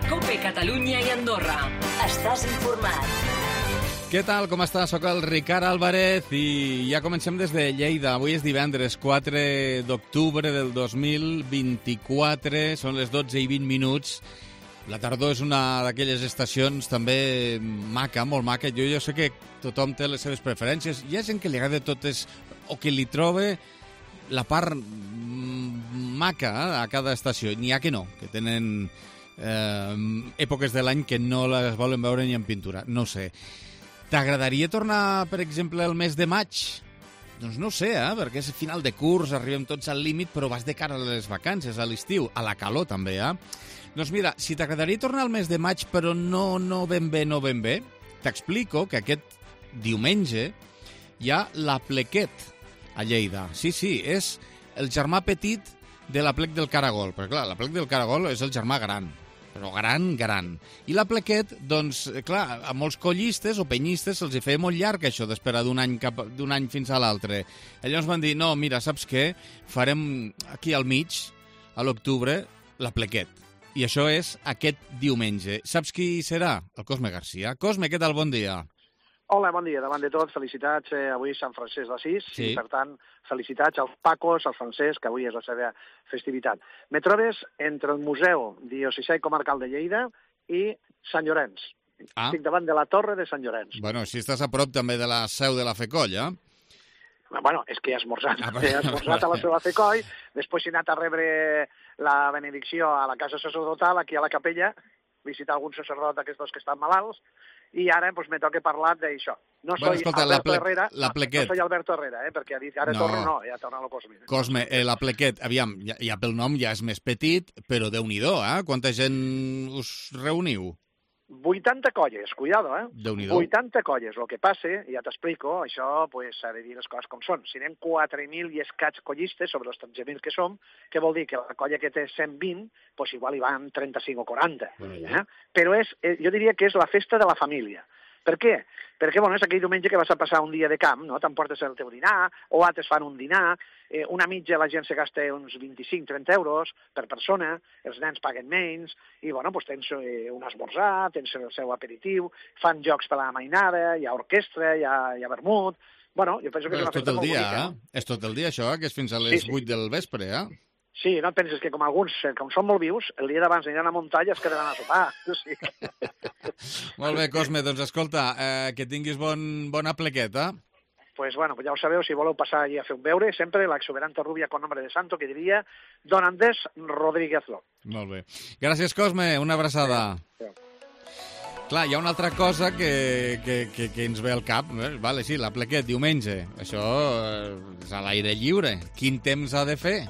COPE Catalunya i Andorra. Estàs informat. Què tal, com està? Soc el Ricard Álvarez i ja comencem des de Lleida. Avui és divendres 4 d'octubre del 2024, són les 12:20. La tardor és una d'aquelles estacions també maca, molt maca. Jo sé que tothom té les seves preferències. Hi ha gent que li agrada totes o que li troba la part maca a cada estació. N'hi ha que no, que tenen èpoques de l'any que no les volen veure ni en pintura. No sé. T'agradaria tornar, per exemple, el mes de maig? Doncs no sé, perquè és final de curs, arribem tots al límit, però vas de cara a les vacances, a l'estiu, a la calor també, Doncs mira, si t'agradaria tornar al mes de maig, però no ben bé, t'explico que aquest diumenge hi ha l'Aplequet a Lleida. Sí, és el germà petit de l'Aplec del Caragol, perquè clar, l'Aplec del Caragol és el germà gran, però gran. I l'Aplequet, doncs, clar, a molts collistes o penyistes se'ls feia molt llarg això d'esperar d'un any fins a l'altre. Llavors van dir, no, mira, saps què? Farem aquí al mig, a l'octubre, l'Aplequet. I això és aquest diumenge. Saps qui serà? El Cosme Garcia. Cosme, què tal? Bon dia. Hola, bon dia. Davant de tot, felicitats. Avui és Sant Francesc d'Assís, sí. I per tant, felicitats als Pacos, al Francesc, que avui és la seva festivitat. Me trobes entre el Museu Diocesà i Comarcal de Lleida i Sant Llorenç. Estic davant de la Torre de Sant Llorenç. Bueno, si estàs a prop també de la seu de la FECOll, Bueno, és que he esmorzat. He esmorzat a la seva FECOll, després he anat a rebre la benedicció a la casa sacerdotal, aquí a la capella, visitar algun sacerdot d'aquests que estan malalts, i ara doncs, me toca parlar d'això. No soy Alberto Herrera, no soy Alberto Herrera, perquè ha dit ara torno, ja torna el Cosme. Cosme, l'Aplequet, aviam, ja pel nom ja és més petit, però Déu-n'hi-do, Quanta gent us reuniu? 80 colles, cuidado, Déu-n'hi-do. 80 colles. El que passa, ja t'explico, això s'ha de dir les coses com són. Si anem 4.000 i escaig collistes sobre els 13.000 que som, què vol dir? Que la colla que té 120, doncs igual hi van 35 o 40. Però jo diria que és la festa de la família. Per què? Perquè és aquell diumenge que vas a passar un dia de camp, no? T'emportes el teu dinar, o altres fan un dinar, una mitja la gent se gasta uns 25-30 euros per persona, els nens paguen menys, i tens un esmorzar, tens el seu aperitiu, fan jocs per a la mainada, hi ha orquestra, hi ha vermut. Jo penso que és una festa molt bonica. És tot el dia, això, que és fins a les 8 del vespre, Sí, no et penses que com alguns, com són molt vius, el dia d'abans aniran a la muntanya es quedaran a sopar. Sí. Molt bé, Cosme, doncs escolta, que tinguis bon Aplequet, Pues ja ho sabeu, si voleu passar allí a fer un beure, sempre l'exuberante rubia con nombre de santo, que diria Don Andrés Rodríguez Ló. Molt bé. Gràcies, Cosme, una abraçada. Sí. Clar, hi ha una altra cosa que ens ve al cap. Vale, sí, l'Aplequet, diumenge. Això és a l'aire lliure. Quin temps ha de fer?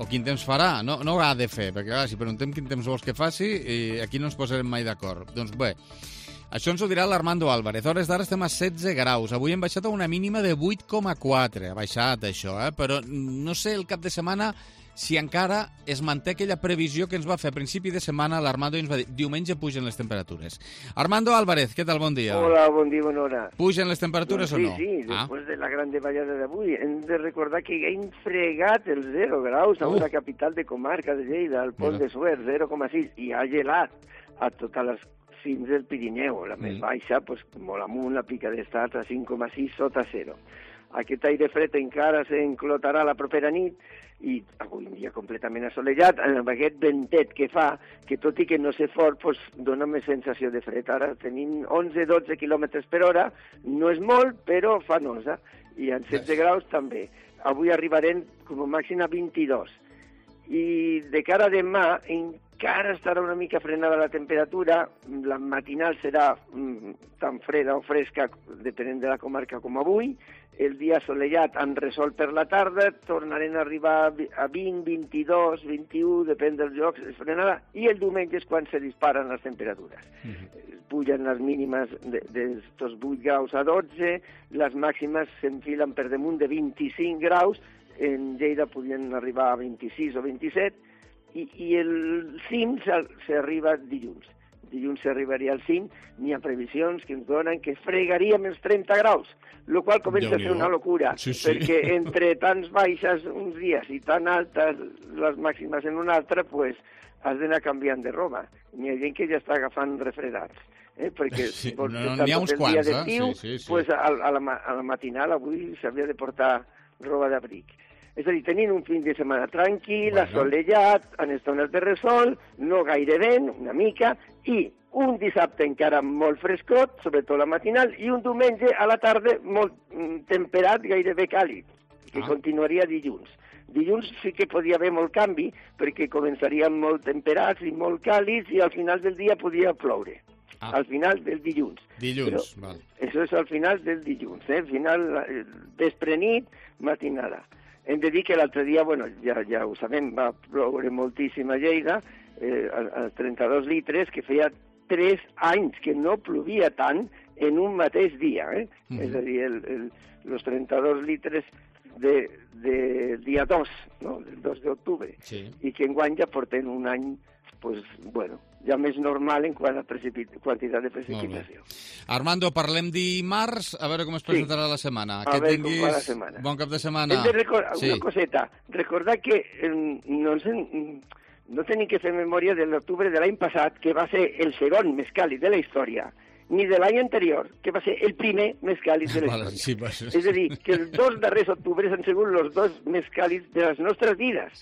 O quin temps farà? No ha de fer, perquè si preguntem quin temps vols que faci, aquí no ens posarem mai d'acord. Doncs bé, això ens ho dirà l'Armando Álvarez. A hores d'ara estem a 16 graus. Avui hem baixat a una mínima de 8,4. Ha baixat això, però no sé el cap de setmana si encara es manté aquella previsió que ens va fer a principi de setmana l'Armando i ens va dir diumenge pugen les temperatures. Armando Álvarez, què tal? Bon dia. Hola, bon dia, bona hora. Pugen les temperatures o no? Sí, després de la gran davallada d'avui. Hem de recordar que hem fregat els 0 graus a una capital de comarca de Lleida, al Pont de Suert, 0,6, i ha gelat a totes les fins del Pirineu. La més baixa, molt amunt, la pica d'estar a 5,6 sota 0. Aquest aire fred encara s'enclotarà la propera nit i avui un dia completament assolellat, amb aquest ventet que fa, que tot i que no sé fort, dona més sensació de fred. Ara tenim 11-12 km per hora, no és molt, però fa nosa, i en 16 graus també. Avui arribarem com a màxim a 22. I de cara a demà encara estarà una mica frenada la temperatura, la matinal serà tan freda o fresca, depenent de la comarca com avui, el dia assolellat amb resol per la tarda, tornarem a arribar a 20, 22, 21, depèn dels llocs, és frenada, i el diumenge és quan se disparen les temperatures. Pugen les mínimes d'estos 8 graus a 12, les màximes s'enfilen per damunt de 25 graus, en Lleida podien arribar a 26 o 27, i el cim s'arriba dilluns. Dilluns s'arribaria al cim, n'hi ha previsions que ens donen que fregaríem els 30 graus, el qual comença a ser una locura, perquè entre tants baixes uns dies i tan altes les màximes en un altre, has d'anar canviant de roba. N'hi ha gent que ja està agafant refredats. Perquè Sí, vols no, estar n'hi ha tot uns el quants, dia d'estiu, sí. pues a la matinal avui s'havia de portar roba d'abric. És a dir, tenint un fin de setmana tranquil, assolellat, en estones de resol, no gaire vent, una mica, i un dissabte encara molt frescot, sobretot la matinal, i un diumenge a la tarda molt temperat, gairebé càlid, que continuaria dilluns. Dilluns sí que podia haver molt canvi, perquè començarien molt temperats i molt càlids, i al final del dia podia ploure. Al final del dilluns. Dilluns, val. Això és al final del dilluns, final vespre-nit, matinada. Hem de dir que l'altre dia, bueno, ja ho sabem, va ploure moltíssim a Lleida, a 32 litres, que feia 3 anys que no plovia tant en un mateix dia. És a dir, els 32 litres de dia 2, no? del 2 d'octubre, i que enguany ja porten un any, pues, bueno, ja més normal en quant a quantitat de precipitació. Armando, parlem dimarts, a veure com es presentarà la setmana. A veure com va la setmana. Bon cap de setmana. Hem de recordar una coseta. Recordar que no tenim que fer memòria de l'octubre de l'any passat, que va ser el segon més càlid de la història, ni de l'any anterior, que va ser el primer més càlid de la història. És a dir, que els 2 darrers octubres han sigut els 2 més càlids de les nostres vides.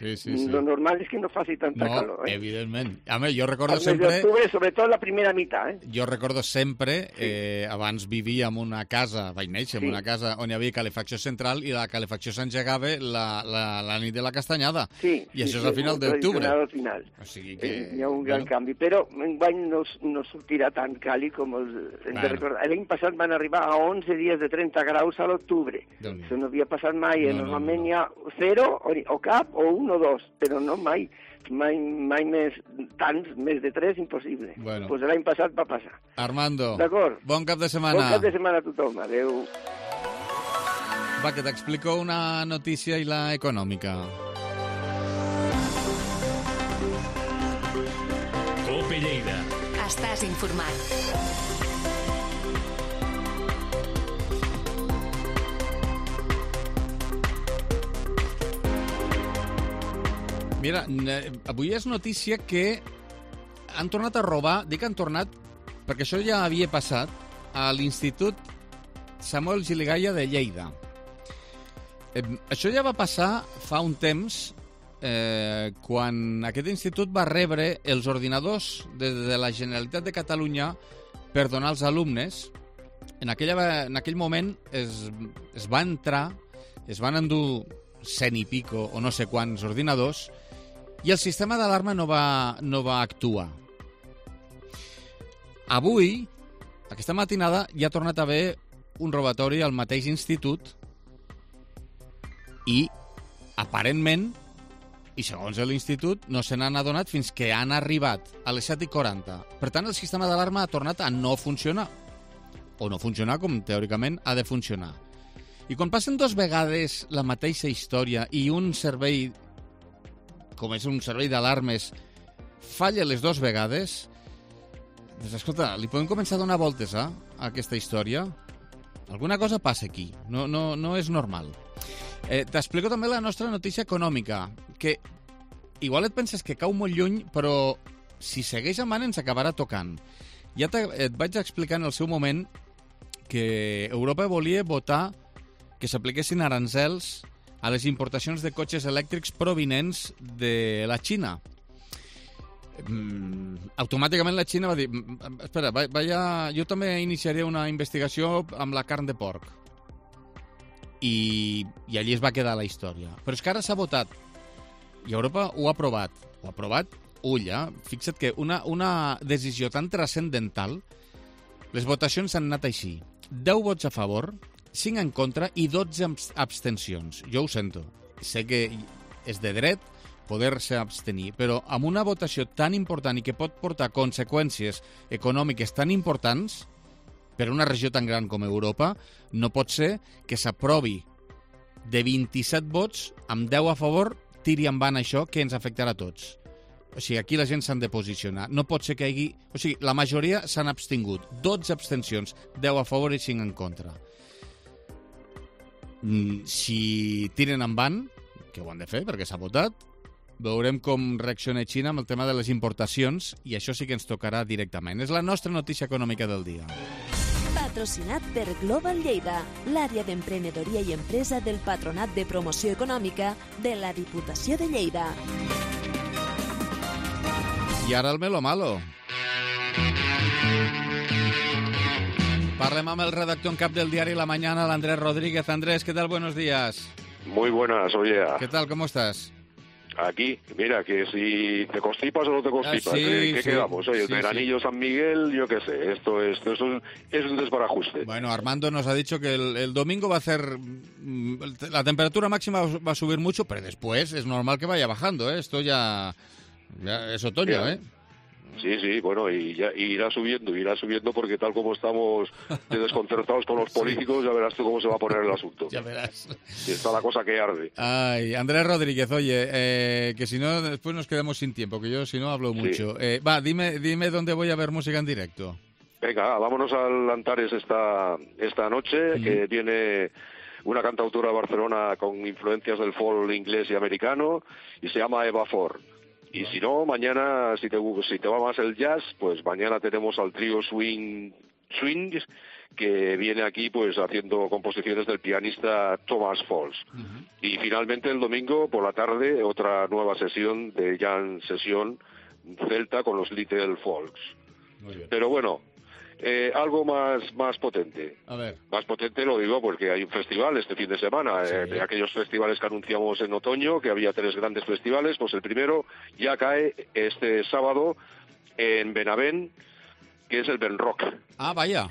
Lo normal és que no faci tanta calor. No, evidentment. Home, jo recordo el sempre... mes d'octubre, sobretot la primera meitat. Jo recordo sempre, abans vivia en una casa, vaig néixer en una casa on hi havia calefacció central i la calefacció s'engegava la nit de la castanyada. I això és al final d'octubre. Al final. O sigui que... Hi ha un gran canvi, però enguany no sortirà tan càlid com els... L'any passat van arribar a 11 dies de 30 graus a l'octubre. Això no havia passat mai. Normalment hi ha 0 o cap, o 1 o 2, però no mai. Mai més tants, més de 3, impossible. Doncs l'any passat va passar. Armando, bon cap de setmana. Bon cap de setmana a tothom. Adéu. Va, que t'explico una notícia i la econòmica. Cope Lleida. Estàs informat. Mira, avui és notícia que han tornat a robar, dic han tornat perquè això ja havia passat a l'Institut Samuel Giligaya de Lleida. Això ja va passar fa un temps quan aquest institut va rebre els ordinadors de la Generalitat de Catalunya per donar als alumnes. En aquell moment es va entrar, es van endur 100 i pico o no sé quants ordinadors i el sistema d'alarma no va actuar. Avui, aquesta matinada, hi ha tornat a haver un robatori al mateix institut i, aparentment, i segons l'institut, no se n'han adonat fins que han arribat a les 7:40. Per tant, el sistema d'alarma ha tornat a no funcionar. O no funcionar com, teòricament, ha de funcionar. I quan passen 2 vegades la mateixa història i un servei, com és un servei d'alarmes, falla les 2 vegades, doncs, escolta, li podem començar a donar voltes a aquesta història? Alguna cosa passa aquí, no és normal. T'explico també la nostra notícia econòmica, que igual et penses que cau molt lluny, però si segueix en ens acabarà tocant. Ja et vaig explicar en el seu moment que Europa volia votar que s'apliquessin aranzels a les importacions de cotxes elèctrics provinents de la Xina. Automàticament la Xina va dir espera, jo també iniciaré una investigació amb la carn de porc. I allí es va quedar la història. Però és que ara s'ha votat. I Europa ho ha aprovat. Ho ha aprovat, fixa't que una decisió tan transcendental, les votacions han anat així. 10 vots a favor, 5 en contra i 12 abstencions. Jo ho sento. Sé que és de dret poder-se abstenir, però amb una votació tan important i que pot portar conseqüències econòmiques tan importants per una regió tan gran com Europa, no pot ser que s'aprovi de 27 vots, amb 10 a favor, tiri en van això que ens afectarà a tots. O sigui, aquí la gent s'han de posicionar. No pot ser que hi hagi... O sigui, la majoria s'han abstingut. 12 abstencions, 10 a favor i 5 en contra. Si tiren en van, que ho han de fer perquè s'ha votat, Veurem com reacciona Xina amb el tema de les importacions i això sí que ens tocarà directament. És la nostra notícia econòmica del dia. Patrocinat per Global Lleida, l'àrea d'emprenedoria i empresa del Patronat de Promoció Econòmica de la Diputació de Lleida. I ara el Melo Malo. Parlem amb el redactor en cap del diari La Mañana, el Andrés Rodríguez. Andrés, ¿qué tal? Buenos días. Muy buenas, oye. ¿Qué tal? ¿Cómo estás? Aquí, mira, que si te constipas o no te constipas, sí, ¿qué sí, quedamos? Oye, sí, el veranillo San Miguel, yo qué sé, esto es un desbarajuste. Bueno, Armando nos ha dicho que el domingo va a hacer... La temperatura máxima va a subir mucho, pero después es normal que vaya bajando, ¿eh? Esto ya es otoño, Ya. ¿eh? Sí, bueno, y ya irá subiendo porque tal como estamos de desconcertados con los políticos, ya verás tú cómo se va a poner el asunto. Ya verás. Sí, está la cosa que arde. Ay, Andrés Rodríguez, oye, que si no, después nos quedamos sin tiempo, que yo si no hablo mucho. Dime dónde voy a ver música en directo. Venga, vámonos al Antares esta noche, que viene una cantautora de Barcelona con influencias del folk inglés y americano, y se llama Eva Ford. Y si no, mañana, si te va más el jazz, pues mañana tenemos al trío Swing, que viene aquí pues haciendo composiciones del pianista Thomas Falls. Y finalmente el domingo por la tarde otra nueva sesión de jam sesión celta con los Little Folks. Muy bien. Pero bueno, algo más potente. A ver. Más potente lo digo porque hay un festival este fin de semana, de aquellos festivales que anunciamos en otoño, que había 3 grandes festivales, pues el primero ya cae este sábado en Benavent, que es el Ben Rock. Ah, vaya.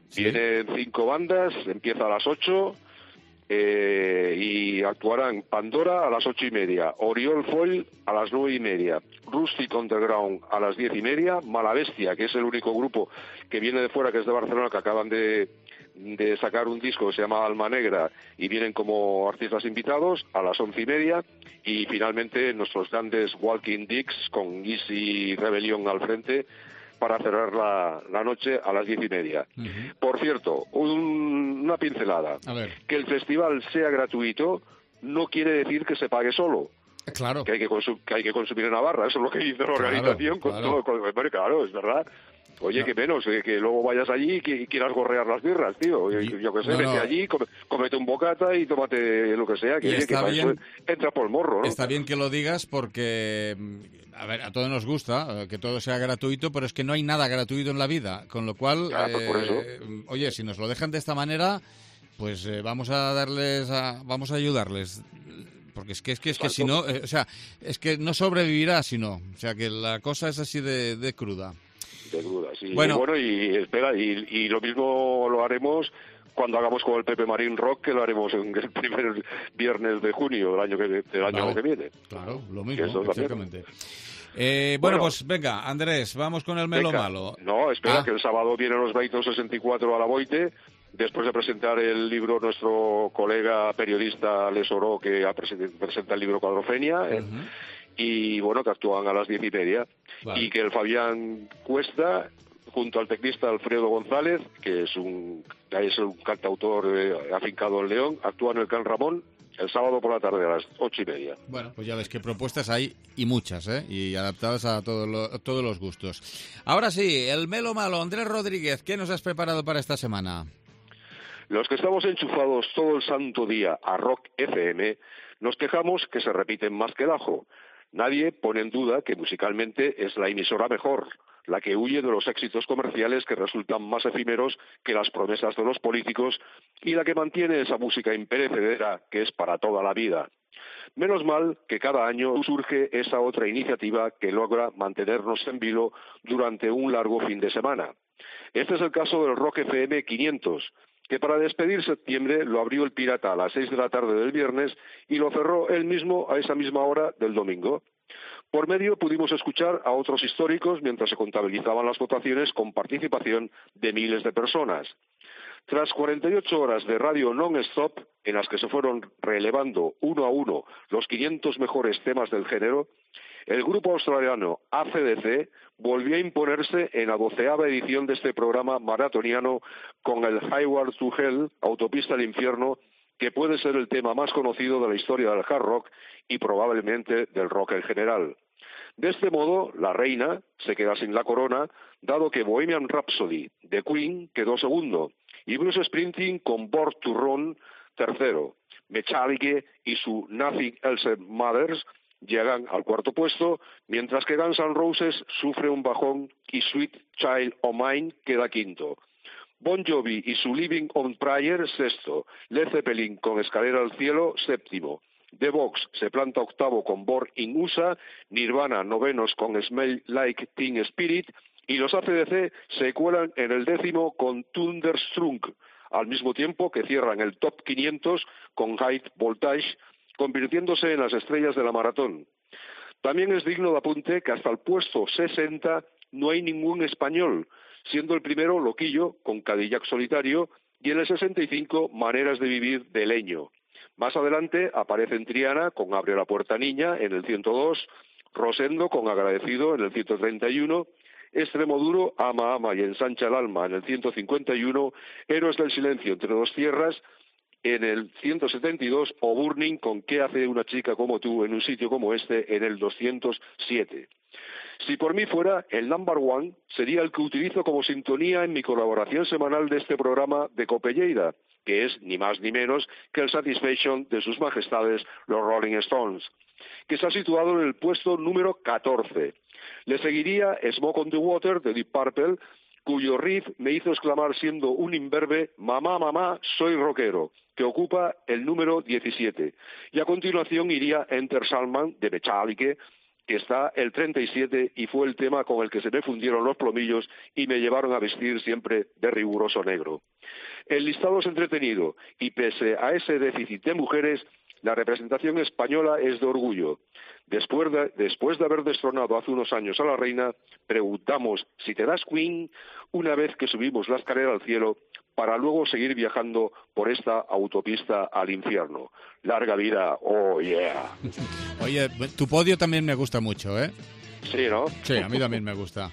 Sí. Vienen 5 bandas, empieza a las 8 y actuarán Pandora a las 8:30, Oriol Foil a las 9:30, Rustic Underground a las 10:30, Malabestia, que es el único grupo que viene de fuera, que es de Barcelona, que acaban de sacar un disco que se llama Alma Negra y vienen como artistas invitados a las 11:30, y finalmente nuestros grandes Walking Dicks con Easy Rebellion al frente para cerrar la noche a las 10:30. Por cierto, una pincelada. A ver. Que el festival sea gratuito no quiere decir que se pague solo. Claro. Que hay que consumir en Navarra, eso es lo que dice la organización. Claro, es verdad. Oye, que menos, que luego vayas allí y quieras gorrear las birras, tío. Yo qué sé, vete allí, cómete un bocata y tómate lo que sea, que eso entra por el morro, ¿no? Está bien que lo digas porque, a ver, a todos nos gusta que todo sea gratuito, pero es que no hay nada gratuito en la vida, con lo cual, pues por eso. Oye, si nos lo dejan de esta manera, pues vamos a ayudarles. Porque es que si no, o sea, es que no sobrevivirá si no. O sea, que la cosa es así de cruda. De duda, sí. Bueno, y espera, y lo mismo lo haremos cuando hagamos con el Pepe Marín Rock, que lo haremos en el primer viernes de junio del año que viene. Claro, lo mismo, exactamente. Bueno, bueno, pues venga, Andrés, vamos con el Melo Malo. No, espera, que el sábado vienen los Baitos 64 a la Boite, después de presentar el libro nuestro colega periodista Les Oró, que presenta el libro Cuadrofenia, y bueno, que actúan a las 10:30, y que el Fabián Cuesta, junto al teclista Alfredo González, que es un cantautor afincado en León, actúan en el Can Ramón el sábado por la tarde a las 8:30. Bueno, pues ya ves que propuestas hay y muchas, y adaptadas a todos los gustos. Ahora sí, el Melo Malo, Andrés Rodríguez, ¿qué nos has preparado para esta semana? Los que estamos enchufados todo el santo día a Rock FM, nos quejamos que se repiten más que el ajo. Nadie pone en duda que musicalmente es la emisora mejor, la que huye de los éxitos comerciales que resultan más efímeros que las promesas de los políticos, y la que mantiene esa música imperecedera que es para toda la vida. Menos mal que cada año surge esa otra iniciativa que logra mantenernos en vilo durante un largo fin de semana. Este es el caso del Rock FM 500, que para despedir septiembre lo abrió el Pirata a las 6 de la tarde del viernes y lo cerró él mismo a esa misma hora del domingo. Por medio pudimos escuchar a otros históricos mientras se contabilizaban las votaciones con participación de miles de personas. Tras 48 horas de radio non-stop, en las que se fueron relevando uno a uno los 500 mejores temas del género, el grupo australiano AC/DC volvió a imponerse en la 12ª edición de este programa maratoniano con el Highway to Hell, Autopista al Infierno, que puede ser el tema más conocido de la historia del hard rock y probablemente del rock en general. De este modo, la reina se queda sin la corona, dado que Bohemian Rhapsody de Queen quedó segundo, y Bruce Springsteen con Born to Run tercero. Metallica y su Nothing Else Matters llegan al cuarto puesto, mientras que Guns N' Roses sufre un bajón y Sweet Child O' Mine queda quinto. Bon Jovi y su Living on Prayer sexto. Led Zeppelin con Escalera al Cielo séptimo. The Box se planta octavo con Born in USA, Nirvana novenos con Smell Like Teen Spirit y los AC/DC se cuelan en el décimo con Thunderstruck, al mismo tiempo que cierran el top 500 con High Voltage, convirtiéndose en las estrellas de la maratón. También es digno de apunte que hasta el puesto 60 no hay ningún español, siendo el primero Loquillo con Cadillac Solitario y en el 65 Maneras de Vivir de Leño. Más adelante aparecen Triana con Abre la Puerta Niña en el 102, Rosendo con Agradecido en el 131, Extremoduro, Ama, Ama y Ensancha el Alma en el 151, Héroes del Silencio entre dos tierras en el 172 o Burning con ¿Qué hace una chica como tú en un sitio como este en el 207. Si por mí fuera, el number one sería el que utilizo como sintonía en mi colaboración semanal de este programa de Cope Lleida, que es ni más ni menos que el Satisfaction de sus majestades los Rolling Stones, que se ha situado en el puesto número 14. Le seguiría Smoke on the Water de Deep Purple, cuyo riff me hizo exclamar siendo un imberbe «Mamá, mamá, soy rockero», que ocupa el número 17. Y a continuación iría Enter Sandman de Metallica, que está el 37 y fue el tema con el que se me fundieron los plomillos y me llevaron a vestir siempre de riguroso negro. El listado es entretenido y pese a ese déficit de mujeres, la representación española es de orgullo. Después de haber destronado hace unos años a la reina, preguntamos si te das Queen una vez que subimos la escalera al cielo para luego seguir viajando por esta autopista al infierno. Larga vida, oh yeah. Oye, tu podio también me gusta mucho, ¿eh? Sí, ¿no? Sí, a mí también me gusta.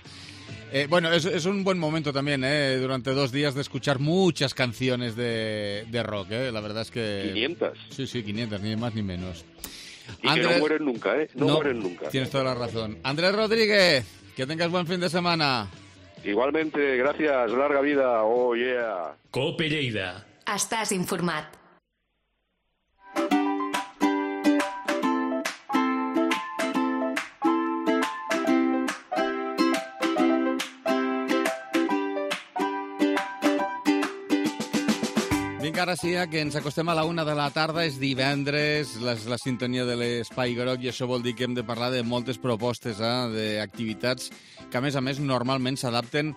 Bueno, es un buen momento también, durante 2 días de escuchar muchas canciones de rock, La verdad es que... 500. Sí, 500, ni más ni menos. Y Andrés... que no mueren nunca, No mueren nunca. Tienes toda la razón. Andrés Rodríguez, que tengas buen fin de semana. Igualmente, gracias, larga vida, oh yeah. Cope Lleida. Estàs informat. Vinga, ara sí, que ens acostem a la 1 de la tarda, és divendres, la sintonia de l'Espai Groc, i això vol dir que hem de parlar de moltes propostes, d'activitats que, a més, normalment s'adapten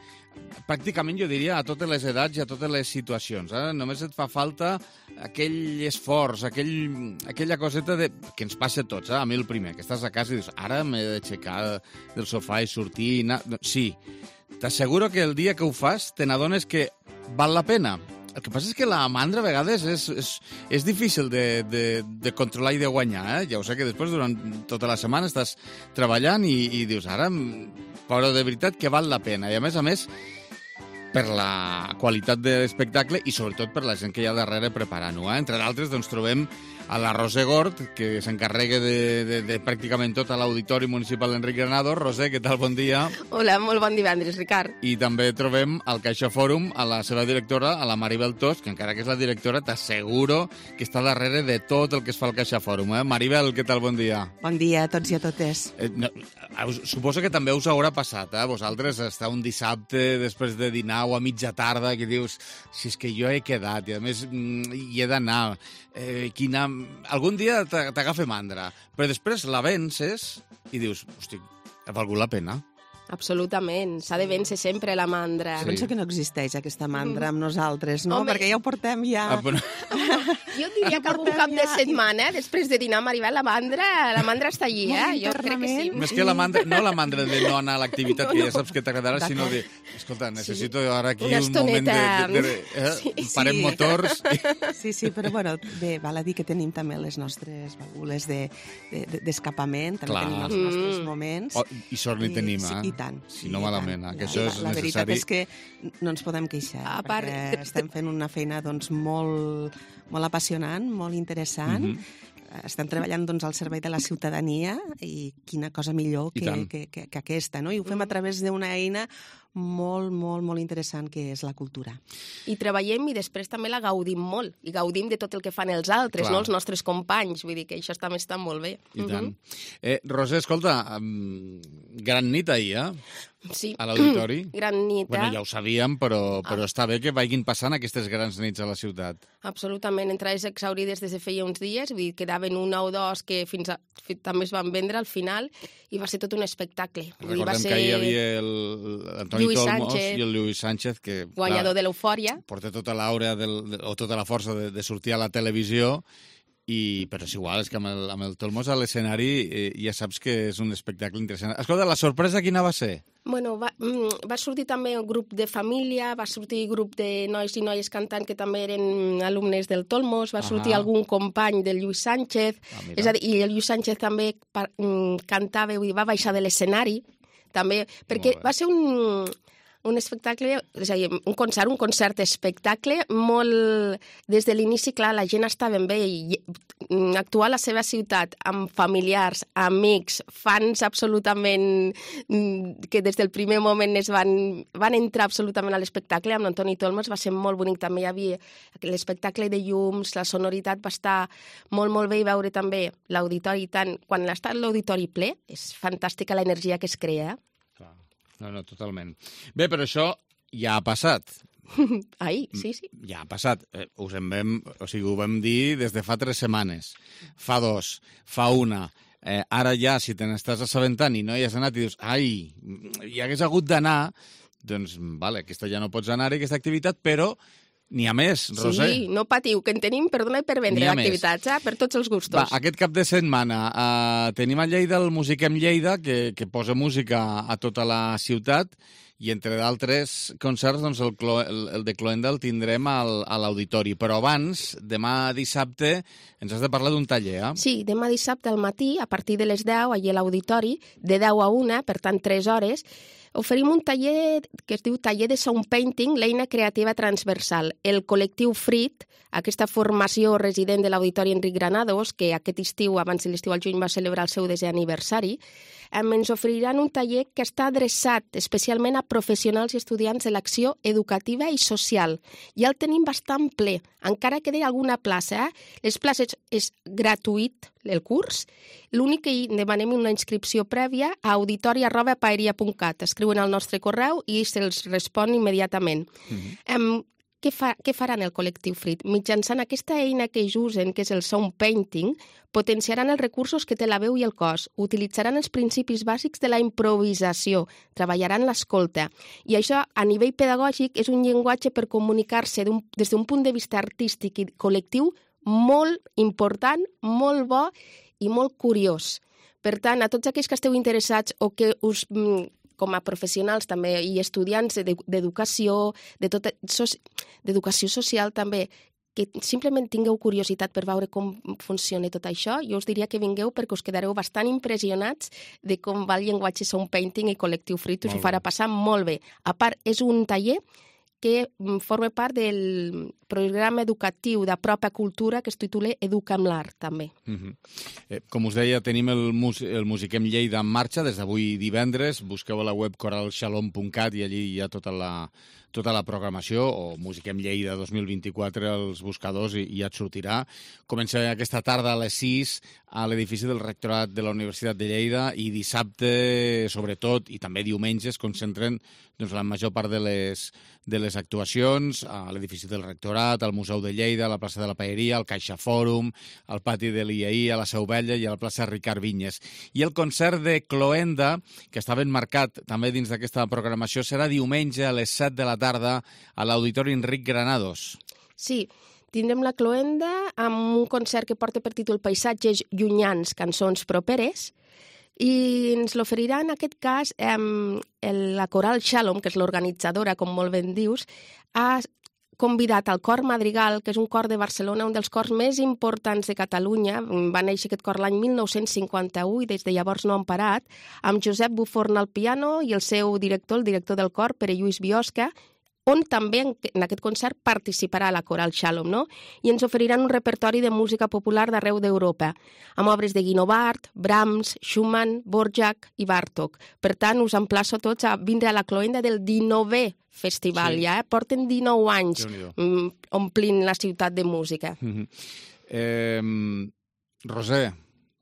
pràcticament, jo diria, a totes les edats i a totes les situacions. Només et fa falta aquell esforç, aquella coseta que ens passa a tots, a mi el primer, que estàs a casa i dius, ara m'he d'aixecar del sofà i sortir i anar... Sí, t'asseguro que el dia que ho fas te n'adones que val la pena. El que passa és que la mandra a vegades és difícil de controlar i de guanyar, Ja ho sé que després durant tota la setmana estàs treballant i dius, ara, però de veritat que val la pena. I a més, per la qualitat de l'espectacle i sobretot per la gent que hi ha darrere preparant-ho. Entre d'altres, doncs, trobem a la Roser Gort, que s'encarrega de pràcticament tot a l'Auditori Municipal Enric Granados. Roser, què tal? Bon dia. Hola, molt bon divendres, Ricard. I també trobem al CaixaForum a la seva directora, a la Maribel Tos, que encara que és la directora, t'asseguro que està darrere de tot el que es fa al CaixaForum. Maribel, què tal? Bon dia. Bon dia a tots i a totes. Suposo que també us haurà passat, vosaltres, estar un dissabte després de dinar o a mitja tarda, que dius, si és que jo he quedat, i a més hi he d'anar, algun dia t'agafa mandra, però després la vences i dius, hosti, ha valgut la pena. Absolutament, s'ha de vèncer sempre la mandra. Sí. Penso que no existeix aquesta mandra amb nosaltres, no? Home, perquè ja ho portem ja... Jo diria que algun cap de setmana, després de dinar, Maribel, la mandra està allí, Jo crec que sí. Més que la mandra, no la mandra de no anar a l'activitat, que ja saps que t'agradarà, sinó de, escolta, necessito ara aquí un moment de parem motors... Sí, però bueno, bé, val a dir que tenim també les nostres válvules d'escapament, també tenim els nostres moments. I sort n'hi tenim, I tant. Si no malament, que això és necessari. La veritat és que no ens podem queixar, perquè estem fent una feina doncs molt apassionant apassionant, molt interessant. Estem treballant doncs, al servei de la ciutadania i quina cosa millor que aquesta, no? I ho fem a través d'una eina molt, molt, molt interessant que és la cultura. I treballem i després també la gaudim molt. I gaudim de tot el que fan els altres, no? Els nostres companys. Vull dir que això també està molt bé. I tant. Roser, escolta, gran nit ahir, Sí. a l'auditori. Gran nit, Bueno, ja ho sabíem, però està bé que vagin passant aquestes grans nits a la ciutat. Absolutament. Entrades exaurides des de feia uns dies, vull dir, quedaven una o dos que també es van vendre al final, i va ser tot un espectacle. Recordem que ahir hi havia l'Antoni Tolmos i el Lluís Sánchez, que guanyador de l'Eufòria. Porta tota l'aura o tota la força de sortir a la televisió, però és igual, és que amb el Tolmos a l'escenari ja saps que és un espectacle interessant. Escolta, la sorpresa quina va ser? Bueno, va sortir també un grup de família, va sortir grup de nois i noies cantant que també eren alumnes del Tolmos, va sortir algun company del Lluís Sánchez, és a dir, i el Lluís Sánchez també cantava, va baixar de l'escenari, també, perquè va ser un espectacle, és a dir, un concert espectacle, molt... Des de l'inici, clar, la gent estava bé i actuar a la seva ciutat amb familiars, amics, fans absolutament que des del primer moment van entrar absolutament a l'espectacle. Amb l'Antoni Tolmos va ser molt bonic. També hi havia l'espectacle de llums, la sonoritat va estar molt, molt bé, i veure també l'auditori. Quan està l'auditori ple, és fantàstica l'energia que es crea. No, totalment. Bé, però això ja ha passat. Ai, sí. Ja ha passat. Ho vam dir des de fa 3 setmanes. Fa 2, fa 1. Ara ja, si te n'estàs assabentant i no hi has anat i dius, ai, hi hagués hagut d'anar, doncs, vale, aquesta ja no pots anar, aquesta activitat, però n'hi ha més, Roser. Sí, no patiu, que en tenim per donar i per vendre d'activitats, per tots els gustos. Va, aquest cap de setmana tenim a Lleida el Musiquem Lleida, que posa música a tota la ciutat, i entre d'altres concerts, doncs el de Cloenda el tindrem a l'auditori. Però abans, demà dissabte, ens has de parlar d'un taller, eh? Sí, demà dissabte al matí, a partir de les 10, allà a l'auditori, de 10 a 1, per tant 3 hores, oferim un taller que es diu Taller de Sound Painting, l'eina creativa transversal. El col·lectiu FRIT, aquesta formació resident de l'Auditori Enric Granados, que aquest estiu, abans de l'estiu al juny, va celebrar el seu 10è aniversari, ens oferiran un taller que està adreçat especialment a professionals i estudiants de l'acció educativa i social. Ja el tenim bastant ple, encara queda alguna plaça. Les places és gratuït, el curs. L'únic que demanem una inscripció prèvia a auditori@paeria.cat. Escriuen al nostre correu i se'ls respon immediatament. Què faran el col·lectiu FRIT? Mitjançant aquesta eina que ells usen, que és el Sound Painting, potenciaran els recursos que té la veu i el cos, utilitzaran els principis bàsics de la improvisació, treballaran l'escolta. I això, a nivell pedagògic, és un llenguatge per comunicar-se des d'un punt de vista artístic i col·lectiu molt important, molt bo i molt curiós. Per tant, a tots aquells que esteu interessats o que us... com a professionals també i estudiants d'educació, d'educació social també, que simplement tingueu curiositat per veure com funciona tot això, jo us diria que vingueu perquè us quedareu bastant impressionats de com va el llenguatge Sound Painting i Col·lectiu FRIT, us ho farà passar molt bé. A part, és un taller que forma part del programa educatiu de pròpia cultura que es titula Educa amb l'Art, també. Com us deia, tenim el Musiquem Lleida en marxa des d'avui divendres. Busqueu a la web coralshalom.cat i allí hi ha tota la programació, o Musiquem Lleida 2024 als buscadors i ja et sortirà. Comença aquesta tarda a les 6 a l'edifici del Rectorat de la Universitat de Lleida i dissabte, sobretot, i també diumenges, concentren la major part de les actuacions a l'edifici del Rectorat, al Museu de Lleida, a la plaça de la Paeria, al Caixa Fòrum, al pati de l'IAI, a la Seu Vella i a la plaça Ricard Vinyes. I el concert de Cloenda, que estava enmarcat també dins d'aquesta programació, serà diumenge a les 7 de la tarda a l'Auditori Enric Granados. Sí, tindrem la Cloenda amb un concert que porta per títol Paisatges llunyans, cançons properes, i ens l'oferirà en aquest cas la Coral Shalom, que és l'organitzadora, com molt ben dius, ha convidat al Cor Madrigal, que és un cor de Barcelona, un dels cors més importants de Catalunya. Va néixer aquest cor l'any 1951 i des de llavors no han parat, amb Josep Buforn al piano i el seu director, el director del cor, Pere Lluís Biosca, on també en aquest concert participarà la Coral Shalom, no? I ens oferiran un repertori de música popular d'arreu d'Europa, amb obres de Guinovart, Brahms, Schumann, Dvořák i Bartók. Per tant, us emplaço tots a vindre a la cloenda del 19è festival, ja, porten 19 anys omplint la ciutat de música. Roser,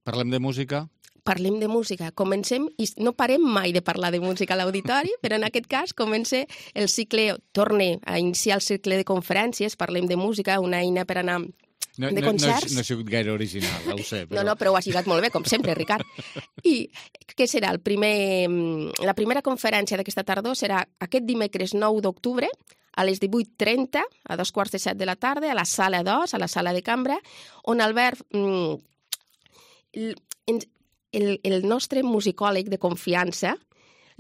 parlem de música? Parlem de música. Comencem, i no parem mai de parlar de música a l'auditori, però en aquest cas comença el cicle, torne a iniciar el cicle de conferències, parlem de música, una eina per anar de concerts. No he sigut gaire original, ho sé. Però... No, però ho has lligat molt bé, com sempre, Ricard. I què serà? La primera conferència d'aquesta tardor serà aquest dimecres 9 d'octubre, a les 18:30, a 7:15 de la tarda, a la sala 2, a la sala de cambra, on Albert... El nostre musicòleg de confiança,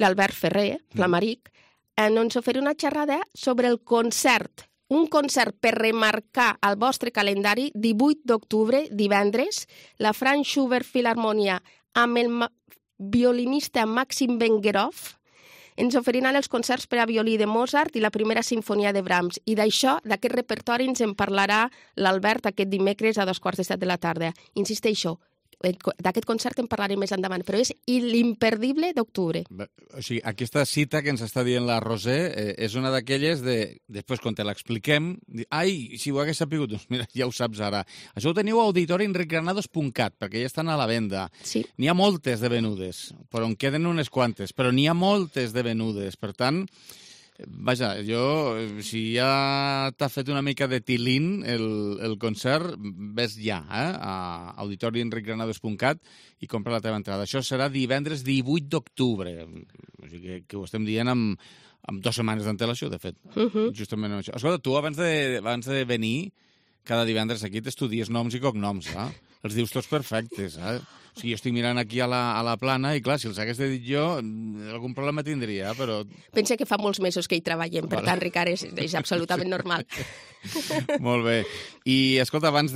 l'Albert Ferrer, Flamaric, ens oferirà una xerrada sobre el concert, un concert per remarcar al vostre calendari 18 d'octubre, divendres, la Franz Schubert Filharmonia amb el violinista Maxim Vengerov ens oferiran els concerts per a violí de Mozart i la primera sinfonia de Brahms. I d'això, d'aquest repertori, ens en parlarà l'Albert aquest dimecres a 7:15 de la tarda. Insisteixo, d'aquest concert en parlarem més endavant, però és l'imperdible d'octubre. O sigui, aquesta cita que ens està dient la Roser és una d'aquelles de... Després, quan te l'expliquem, ai, si ho hagués sapigut, doncs mira, ja ho saps ara. Això ho teniu a auditorienrigranados.cat, perquè ja estan a la venda. Sí. N'hi ha moltes de venudes, però en queden unes quantes, però n'hi ha moltes de venudes. Per tant, vaja, si ja t'ha fet una mica de tilín el concert, ves ja a auditorienrigranados.cat i compra la teva entrada. Això serà divendres 18 d'octubre. O sigui que ho estem dient amb 2 setmanes d'antelació, de fet. Justament això. Escolta, tu abans de venir cada divendres aquí t'estudies noms i cognoms, els dius tots perfectes, O sigui, jo estic mirant aquí a la plana i, clar, si els hagués de dir jo, algun problema tindria, però... Pensa que fa molts mesos que hi treballem, per tant, Ricard, és absolutament normal. Molt bé. I, escolta, abans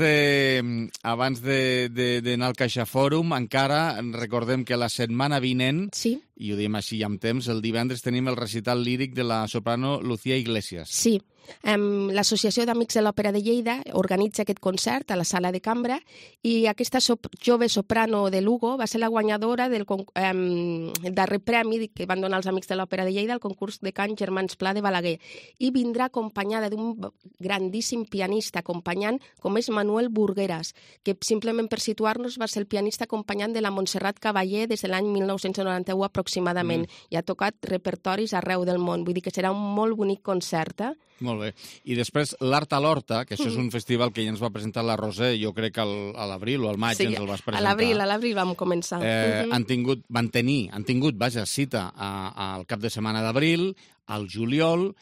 d'anar al CaixaFòrum, encara recordem que la setmana vinent, i ho diem així amb temps, el divendres tenim el recital líric de la soprano Lucía Iglesias. Sí. L'Associació d'Amics de l'Òpera de Lleida organitza aquest concert a la sala de cambra i aquesta jove soprano de Lugo va ser la guanyadora del darrer premi que van donar els Amics de l'Òpera de Lleida al concurs de cant Germans Pla de Balaguer i vindrà acompanyada d'un grandíssim pianista acompanyant com és Manuel Burgueras, que simplement per situar-nos va ser el pianista acompanyant de la Montserrat Caballé des de l'any 1991 aproximadament i ha tocat repertoris arreu del món, vull dir que serà un molt bonic concert, Molt bé. I després l'Art a l'Horta, que això és un festival que ja ens va presentar la Roser, jo crec que a l'abril o al maig ens el vas presentar. Sí, a l'abril vam començar. Han tingut cita al cap de setmana d'abril, al juliol,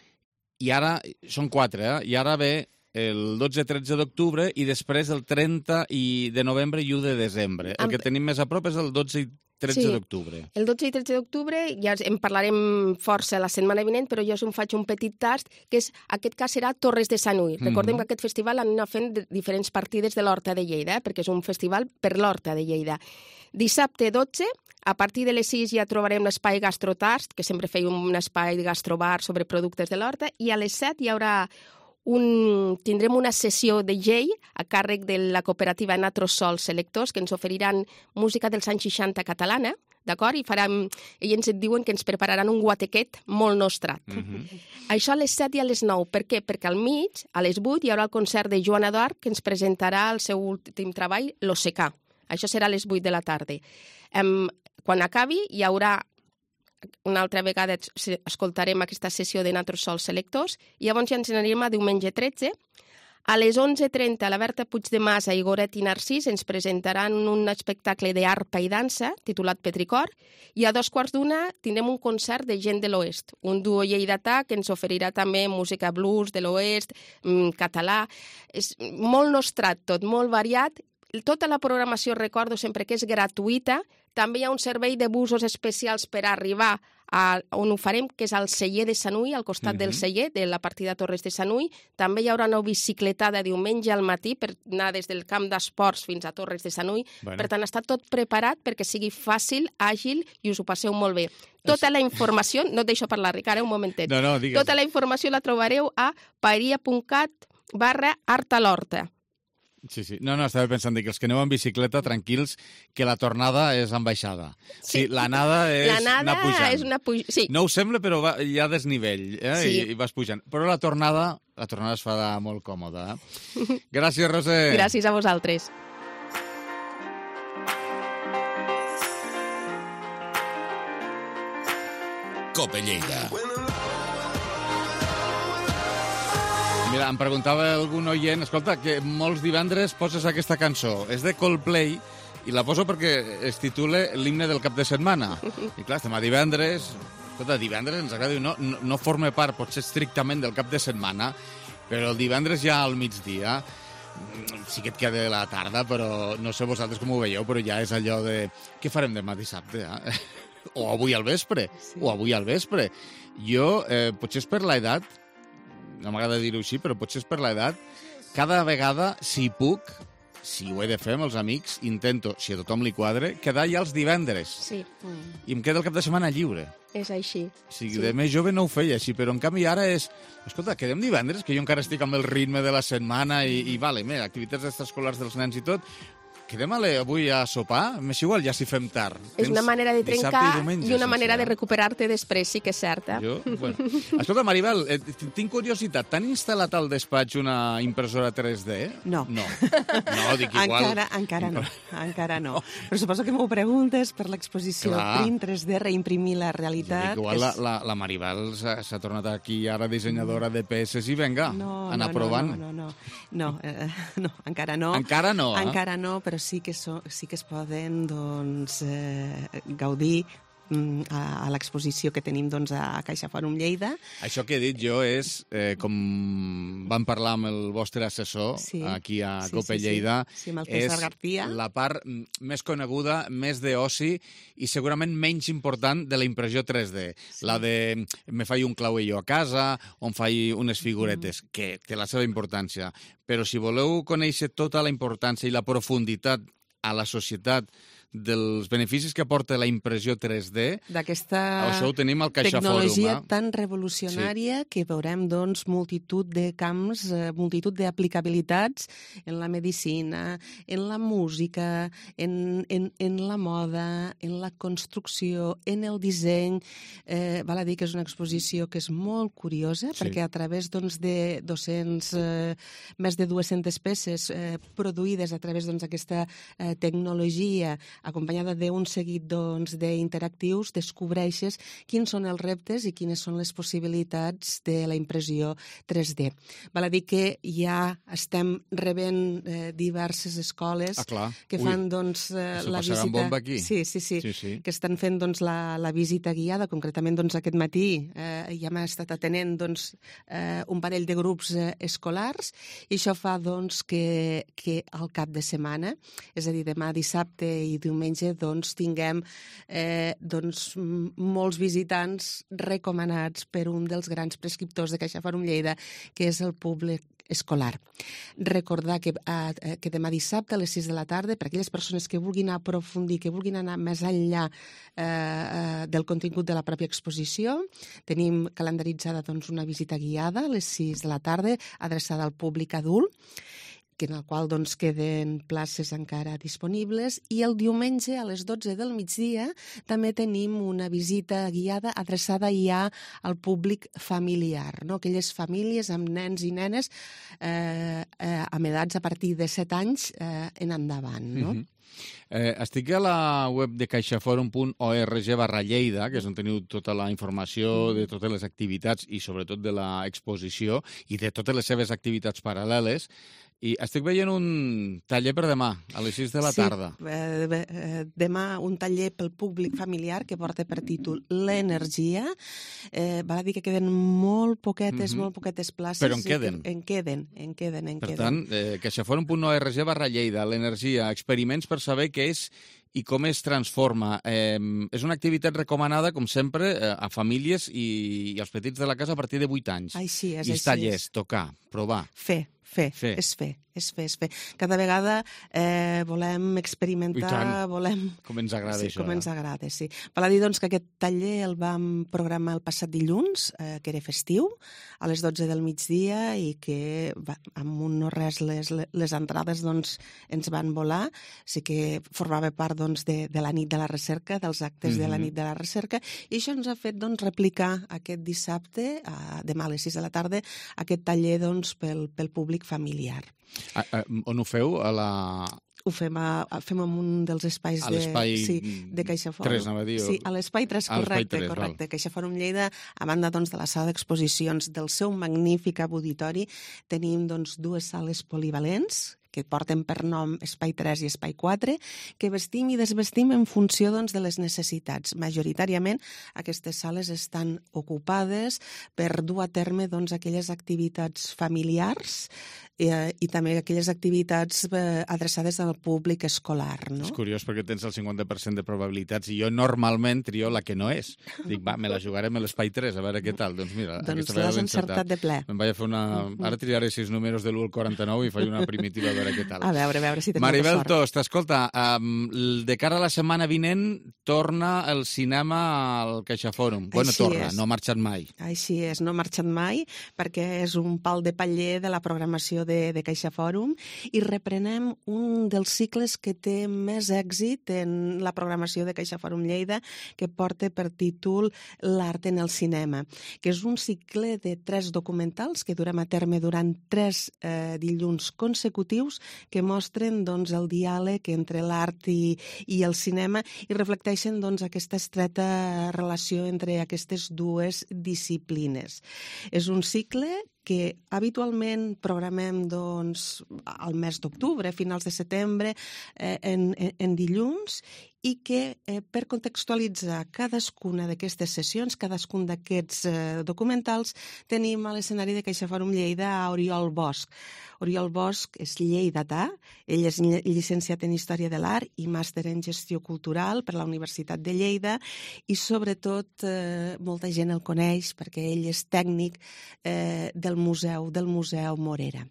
i ara són 4, i ara ve el 12-13 d'octubre i després el 30 de novembre i 1 de desembre. El que tenim més a prop és el 12 i 13 d'octubre. El 12 i 13 d'octubre ja en parlarem força la setmana vinent, però jo us en faig un petit tast, que és, aquest cas serà Torres de Sanui. Recordem que aquest festival anem fent diferents partides de l'Horta de Lleida, perquè és un festival per l'Horta de Lleida. Dissabte 12, a partir de les 6 ja trobarem l'espai Gastrotast, que sempre feia un espai de gastrobar sobre productes de l'Horta, i a les 7 hi haurà tindrem una sessió de Jay a càrrec de la cooperativa Natrosol Selectors, que ens oferiran música dels anys 60 catalana, d'acord? I ells et diuen que ens prepararan un guatequet molt nostrat. Això a les 7 i a les 9. Per què? Perquè al mig, a les 8, hi haurà el concert de Joan Eduard, que ens presentarà el seu últim treball, L'Ossecà. Això serà a les 8 de la tarda. Quan acabi, hi haurà una altra vegada escoltarem aquesta sessió de Natrosol Selectors i llavors ja ens anirem a diumenge 13. A les 11:30 la Berta Puigdemasa i Goret i Narcís ens presentaran un espectacle d'arpa i dansa titulat Petricor i a 2:15 tindrem un concert de gent de l'Oest, un duo lleidatà que ens oferirà també música blues de l'Oest, català. És molt nostrat tot, molt variat. Tota la programació recordo sempre que és gratuïta. També hi ha un servei de busos especials per arribar on ho farem, que és al celler de Sanui, al costat del celler, de la partida Torres de Sanui. També hi haurà una bicicletada diumenge al matí per anar des del camp d'esports fins a Torres de Sanui. Per tant, està tot preparat perquè sigui fàcil, àgil i us ho passeu molt bé. Tota la informació, no et deixo parlar, Ricard, un momentet. No, digues. Tota la informació la trobareu a paeria.cat/Art a l'Horta. Sí. No, estava pensant que els que aneu en bicicleta, tranquils, que la tornada és en baixada. Sí, l'anada és anar pujant. És una sí. No ho sembla, però hi ha desnivell, i vas pujant. Però la tornada es fa molt còmoda. Gràcies, Roser. Gràcies a vosaltres. Cope Lleida. Mira, em preguntava algun oient, escolta, que molts divendres poses aquesta cançó. És de Coldplay i la poso perquè es titula l'himne del cap de setmana. I clar, estem a divendres. Escolta, divendres ens agrada, no forma part, potser estrictament del cap de setmana, però el divendres ja al migdia, sí que et queda la tarda, però no sé vosaltres com ho veieu, però ja és allò de... Què farem demà dissabte, O avui al vespre, Jo, potser és per l'edat, no m'agrada dir-ho així, però potser és per l'edat, cada vegada, si puc, si ho he de fer amb els amics, intento, si a tothom li quadre, quedar ja els divendres. Sí. I em queda el cap de setmana lliure. És així. De més jove no ho feia així, però en canvi ara és... Escolta, quedem divendres, que jo encara estic amb el ritme de la setmana i vale, mira, activitats extraescolars dels nens i tot... Quedem avui a sopar? M'és igual, ja si fem tard. És una manera de trencar i una manera de recuperar-te després, sí que és certa. Escolta, Maribel, tinc curiositat. T'han instal·lat al despatx una impressora 3D? No. No, dic igual... Encara no. Però suposo que m'ho preguntes per l'exposició Print 3D, reimprimir la realitat. Igual la Maribel s'ha tornat aquí ara dissenyadora de peces i venga, anar provant. No, encara no. Encara no, Encara no, però sí que es poden gaudir a l'exposició que tenim a Caixa Fòrum Lleida. Això que he dit jo és, com vam parlar amb el vostre assessor aquí a Cope Lleida, és la part més coneguda, més d'oci i segurament menys important de la impressió 3D. La de me faig un clauello a casa, on faig unes figuretes, que té la seva importància. Però si voleu conèixer tota la importància i la profunditat a la societat dels beneficis que aporta la impressió 3D, això ho tenim al Caixa Fòrum. Tecnologia tan revolucionària que veurem, multitud de camps, multitud d'aplicabilitats en la medicina, en la música, en la moda, en la construcció, en el disseny. Val a dir que és una exposició que és molt curiosa, perquè a través de més de 200 peces produïdes a través d'aquesta tecnologia acompanyada d'un seguit d'interactius, descobreixes quins són els reptes i quines són les possibilitats de la impressió 3D. Val a dir que ja estem rebent diverses escoles que fan la visita... bomba aquí. Sí, que estan fent la visita guiada, concretament aquest matí ja m'ha estat atenent un parell de grups escolars i això fa que al cap de setmana, és a dir, demà dissabte i diumenge, tinguem molts visitants recomanats per un dels grans prescriptors de Caixa Fòrum Lleida, que és el públic escolar. Recordar que demà dissabte a les 6 de la tarda, per aquelles persones que vulguin aprofundir, que vulguin anar més enllà del contingut de la pròpia exposició, tenim calendaritzada una visita guiada a les 6 de la tarda, adreçada al públic adult, en el qual queden places encara disponibles, i el diumenge a les 12 del migdia també tenim una visita guiada adreçada ja al públic familiar, aquelles famílies amb nens i nenes amb edats a partir de 7 anys en endavant. Estic a la web de caixaforum.org/Lleida, que és on teniu tota la informació de totes les activitats i sobretot de l'exposició i de totes les seves activitats paral·leles. I estic veient un taller per demà, a les 6 de la tarda. Demà un taller pel públic familiar que porta per títol L'energia. Val a dir que queden molt poquetes places. Però en queden. En queden. Per tant, caixaforum.org/Lleida, l'energia, experiments per saber què és i com es transforma. És una activitat recomanada, com sempre, a famílies i als petits de la casa a partir de 8 anys. Així és, I els tallers, tocar, provar. Fer. És fer. Cada vegada volem experimentar, Com ens agrada això. Com ens agrada, sí. Val a dir, doncs, que aquest taller el vam programar el passat dilluns, que era festiu, a les 12 del migdia, i que amb un no res les entrades doncs, ens van volar. Sí que formava part doncs, de la nit de la recerca, dels actes de la nit de la recerca, i això ens ha fet doncs, replicar aquest dissabte, demà a les 6 de la tarda, aquest taller doncs, pel públic familiar. On ho feu? Ho fem en un dels espais de CaixaForum. 3, anava a dir. Sí, a l'Espai 3, correcte. CaixaForum Lleida, a banda doncs, de la sala d'exposicions del seu magnífic auditori, tenim doncs, 2 sales polivalents que porten per nom Espai 3 i Espai 4, que vestim i desvestim en funció doncs, de les necessitats. Majoritàriament, aquestes sales estan ocupades per dur a terme doncs, aquelles activitats familiars i també aquelles activitats adreçades al públic escolar. No? És curiós perquè tens el 50% de probabilitats i jo normalment trio la que no és. Dic, me la jugarem a l'Espai 3, a veure què tal. Doncs mira, doncs l'has encertat de ple. Me'n vaig a fer una... Ara triaré 6 números de l'1 al 49 i faig una primitiva a veure què tal. A veure si tenim Maribel sort. Tost, escolta, de cara a la setmana vinent torna el cinema al CaixaForum. Bueno, torna, no ha marxat mai. Així és, no ha marxat mai, perquè és un pal de paller de la programació de CaixaForum, i reprenem un dels cicles que té més èxit en la programació de CaixaForum Lleida, que porta per títol L'art en el cinema, que és un cicle de 3 documentals que durem a terme durant 3 dilluns consecutius, que mostren doncs, el diàleg entre l'art i el cinema i reflecteixen doncs, aquesta estreta relació entre aquestes dues disciplines. És un cicle que habitualment programem doncs, al mes d'octubre, a finals de setembre, en dilluns, i que per contextualitzar cadascuna d'aquestes sessions, cadascun d'aquests documentals, tenim a l'escenari de CaixaForum Lleida a Oriol Bosch. Oriol Bosch és lleidatà, ell és llicenciat en Història de l'Art i màster en Gestió Cultural per la Universitat de Lleida, i sobretot molta gent el coneix perquè ell és tècnic del Museu Morera.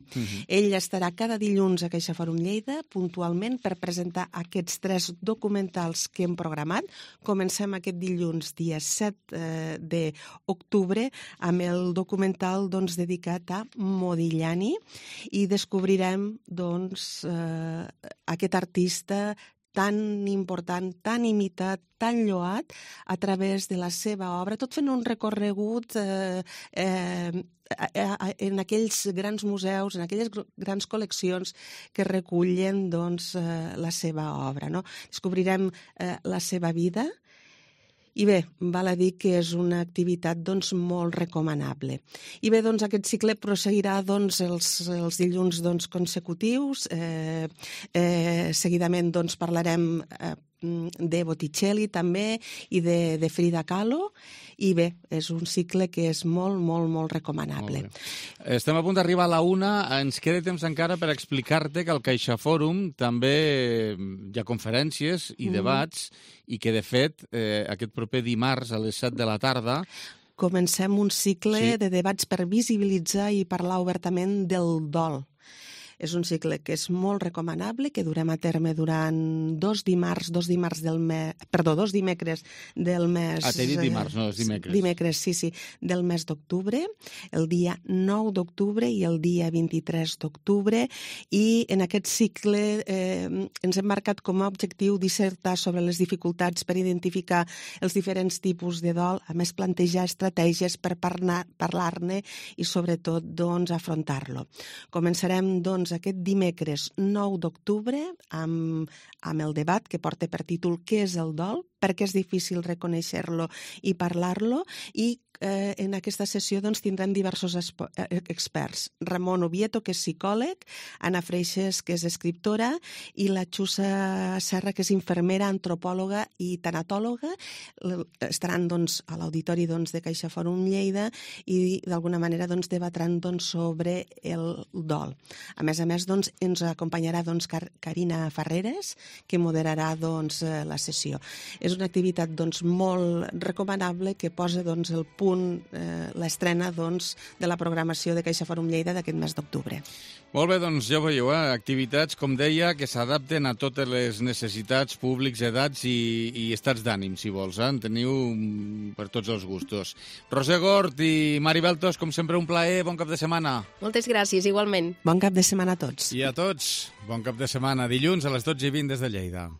Ell estarà cada dilluns a CaixaForum Lleida puntualment per presentar aquests 3 documentals que hem programat. Comencem aquest dilluns, dia 7 d'octubre, amb el documental doncs, dedicat a Modigliani, i descobrirem doncs, aquest artista tan important, tan imitat, tan lloat a través de la seva obra, tot fent un recorregut en aquells grans museus, en aquelles grans col·leccions que recullen doncs, la seva obra. No? Descobrirem la seva vida. I bé, val a dir que és una activitat doncs, molt recomanable. I bé, doncs, aquest cicle proseguirà doncs, els dilluns doncs, consecutius. Seguidament doncs, parlarem de Botticelli també i de Frida Kahlo, i bé, és un cicle que és molt recomanable. Estem a punt d'arribar a la 1, ens queda temps encara per explicar-te que al CaixaForum també hi ha conferències i debats, i que de fet aquest proper dimarts a les 7 de la tarda comencem un cicle de debats per visibilitzar i parlar obertament del dol. És un cicle que és molt recomanable, que durem a terme durant 2 dimecres del mes... T'he dit dimarts, no, és dimecres. Dimecres, sí, del mes d'octubre, el dia 9 d'octubre i el dia 23 d'octubre, i en aquest cicle ens hem marcat com a objectiu dissertar sobre les dificultats per identificar els diferents tipus de dol, a més plantejar estratègies per parlar-ne i sobretot doncs, afrontar-lo. Començarem doncs aquest dimecres 9 d'octubre amb el debat que porta per títol Què és el dol? perquè és difícil reconèixer-lo i parlar-lo, i en aquesta sessió doncs, tindrem diversos experts. Ramon Oviedo, que és psicòleg, Anna Freixes, que és escriptora, i la Xusa Serra, que és infermera, antropòloga i tanatòloga. Estaran doncs, a l'auditori doncs, de Caixa Fòrum Lleida i d'alguna manera doncs, debatran doncs, sobre el dol. A més, doncs, ens acompanyarà doncs, Carina Ferreres, que moderarà doncs, la sessió. És una activitat doncs, molt recomanable que posa doncs, el punt l'estrena doncs, de la programació de Caixa Fòrum Lleida d'aquest mes d'octubre. Molt bé, doncs ja ho veieu, activitats, com deia, que s'adapten a totes les necessitats, públics, edats i estats d'ànim, si vols. En teniu per tots els gustos. Roser Gort i Mari Beltos, com sempre, un plaer. Bon cap de setmana. Moltes gràcies, igualment. Bon cap de setmana a tots. I a tots, bon cap de setmana. Dilluns a les 12:20 des de Lleida.